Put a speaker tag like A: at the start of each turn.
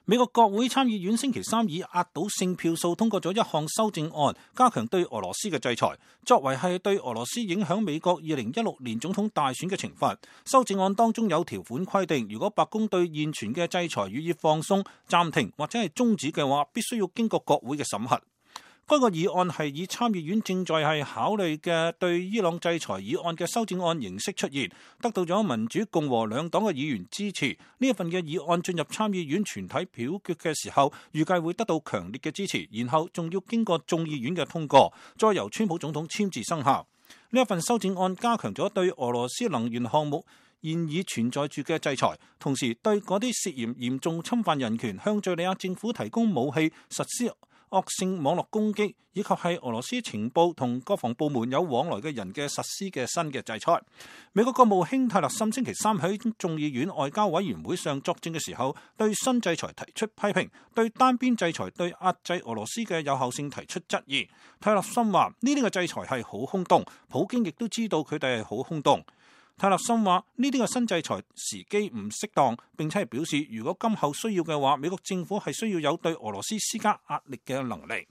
A: 美國國會參議院星期三以壓倒性票數通過咗一項修正案，加強對俄羅斯嘅制裁，作為係對俄羅斯影響美國2016年總統大選嘅懲罰。修正案當中有條款規定，如果白宮對現存嘅制裁予以放鬆、暫停或者係終止嘅話，必須要經過國會嘅審核。該個議案係以參議院正在係考慮嘅對伊朗制裁議案嘅修正案形式出現，得到咗民主共和兩黨嘅議員支持。呢一份嘅議案進入參議院全體表決嘅時候，預計會得到強烈嘅支持，然後仲要經過眾議院嘅通過，再由川普總統簽字生效。呢一份修正案加強咗對俄羅斯能源項目現已存在住嘅制裁，同時對嗰啲涉嫌嚴重侵犯人權、向敘利亞政府提供武器、實施惡性網絡攻擊，以及係俄羅斯情報同國防部門有往來嘅人嘅實施嘅新嘅制裁。美國國務卿泰勒森星期三喺眾議院外交委員會上作證嘅時候，對新制裁提出批評，對單邊制裁對壓制俄羅斯嘅有效性提出質疑。泰勒森話：呢啲嘅制裁係好空洞，普京亦都知道佢哋係好空洞。泰勒森話：呢啲嘅新制裁時機唔適當，並且係表示，如果今後需要嘅話，美國政府係需要有對俄羅斯施加壓力嘅能力。